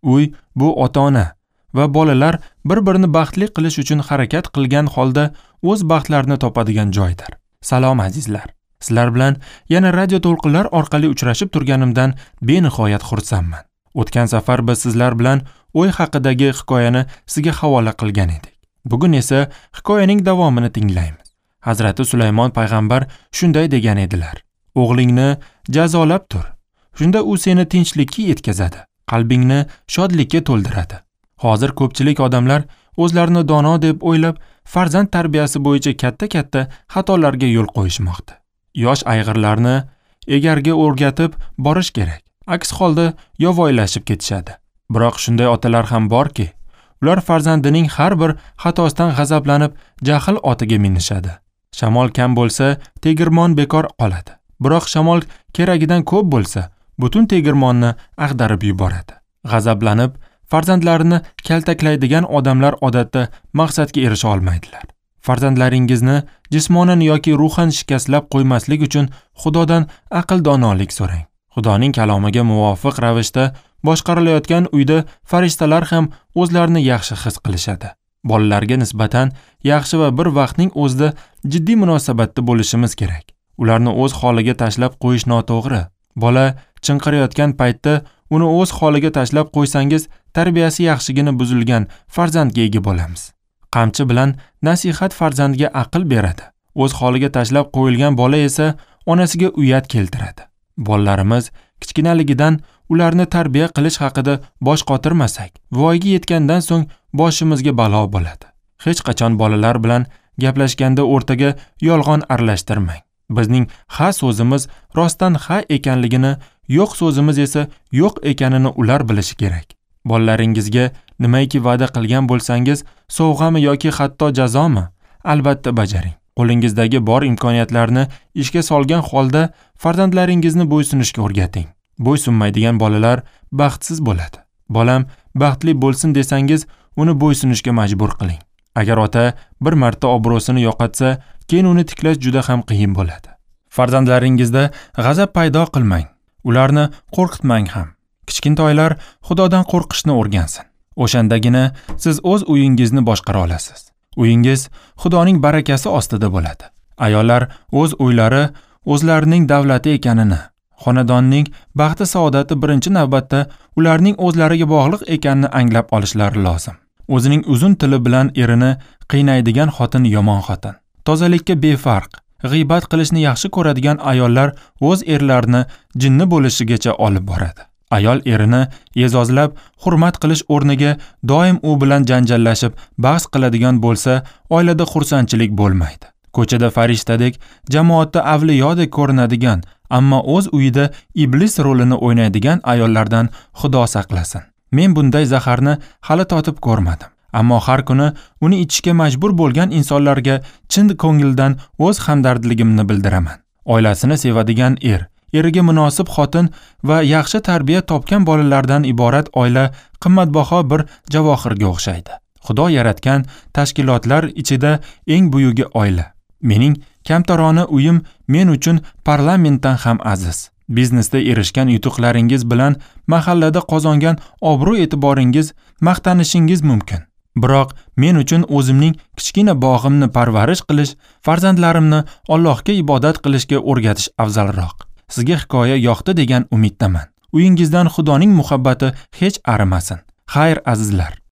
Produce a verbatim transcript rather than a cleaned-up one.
Uy bu ota-ona va bolalar bir-birini baxtli qilish uchun harakat qilgan holda o'z baxtlarini topadigan joydir. Salom azizlar. Sizlar bilan yana radio to'lqinlar orqali uchrashib turganimdan benihoyat xursandman. O'tgan safar biz sizlar bilan o'y haqidagi hikoyani sizga havola qilgan edik. Bugun esa hikoyaning davomini tinglaymiz. Hazrati Sulaymon payg'ambar shunday degan edilar: O'g'lingni jazolab tur. Shunda u seni tinchlikka yetkazadi, qalbingni shodlikka to'ldiradi. Hozir ko'pchilik odamlar o'zlarini dono deb o'ylab, farzand tarbiyasi bo'yicha katta-katta xatolarga yo'l qo'yishmoqda. Yosh ayg'irlarni egarga o'rgatib borish kerak. Aks holda yovvoyilashib ketishadi. Biroq shunday otalar ham borki, ular farzandining har bir xatosidan g'azablanib, jahl otiga minishadi. Shamol kam bo'lsa, tegirmon bekor qoladi. Biroq shamol keragidan ko'p bo'lsa, butun tegirmonni ag'darib yuboradi. G'azablanib, farzandlarini kaltaklaydigan odamlar odatda maqsadga erisha olmaydilar. Farzandlaringizni jismonan yoki ruhan shikastlab qo'ymaslik uchun Xudodan aql donolik so'rang. Xudoning kalomiga muvofiq ravishda boshqarilayotgan uyda farishtalar ham o'zlarini yaxshi his qilishadi. Bolalarga nisbatan yaxshi va bir vaqtning o'zida jiddiy munosabatda bo'lishimiz kerak. Ularni o'z holiga tashlab qo'yish noto'g'ri. Bola chinqirayotgan paytda uni o'z holiga tashlab qo'ysangiz, tarbiyasi yaxshigina buzilgan farzandga ega bo'lamiz. Qamchi bilan nasihat farzandga aql beradi. O'z holiga tashlab qo'yilgan bola esa onasiga uyat keltiradi. Bolalarimiz kichkinaligidan ularni tarbiya qilish haqida bosh qotirmasak, voyaga yetgandan so'ng boshimizga balo bo'ladi. Hech qachon bolalar bilan gaplashganda o'rtaga yolg'on aralashtirmang. Bizning ha so'zimiz rostdan ha ekanligini, yo'q so'zimiz esa yo'q ekanini ular bilishi kerak. Bolalaringizga nimaiki va'da qilgan bo'lsangiz, sovg'ami yoki hatto jazomi, albatta bajaring. Qo'lingizdagi bor imkoniyatlarni ishga solgan holda farzandlaringizni bo'ysunishga o'rgating. Bo'ysunmaydigan bolalar baxtsiz bo'ladi. Bolam baxtli bo'lsin desangiz, uni bo'ysunishga majbur qiling. Agar ota bir marta obro'sini yo'qotsa, keyin uni tiklash juda ham qiyin bo'ladi. Farzandlaringizda g'azab paydo qilmang, ularni qo'rqitmang ham. Kichkintoylar Xudodan qo'rqishni o'rgansin. O'shandagina siz o'z uyingizni boshqara olasiz. Uyingiz Xudoning barakasi ostida bo'ladi. Ayollar o'z uylari o'zlarining davlati ekanini, xonadonning baxti saodati birinchi navbatda ularning o'zlariga bog'liq ekanini anglab olishlari lozim. O'zining uzun tili bilan erini qiynaydigan xotin yomon xotin. Tozalikka befarq, g'iybat qilishni yaxshi ko'radigan ayollar o'z erlarini jinni bo'lishigacha olib boradi. Ayol erini e'zozlab, hurmat qilish o'rniga doim u bilan janjallashib, bahs qiladigan bo'lsa, oilada xursandchilik bo'lmaydi. Ko'chada farishtadek, jamoatda avliyodek ko'rinadigan, ammo o'z uyida iblis rolini o'ynaydigan ayollardan Xudo saqlasin. Men bunday zaharni hali totib ko'rmadim, ammo har kuni uni ichishga majbur bo'lgan insonlarga chin ko'ngildan o'z hamdardligimni bildiraman. Oilasini sevadigan er, eriga munosib xotin va yaxshi tarbiya topgan bolalardan iborat oila qimmatbaho bir javohirga o'xshaydi. Xudo yaratgan tashkilotlar ichida eng buyugi oila. Mening kamtarona uyim men uchun parlamentdan ham aziz. Biznesda erishgan yutuqlaringiz bilan mahallada qozongan obro'-e'tiboringiz maqtanishingiz mumkin. Biroq men uchun o'zimning kichkina bog'imni parvarish qilish, farzandlarimni Allohga ibodat qilishga o'rgatish afzalroq. Sizga hikoya yoqdi degan umiddaman. Uyingizdan Xudoning muhabbati hech arimasin. Xayr azizlar.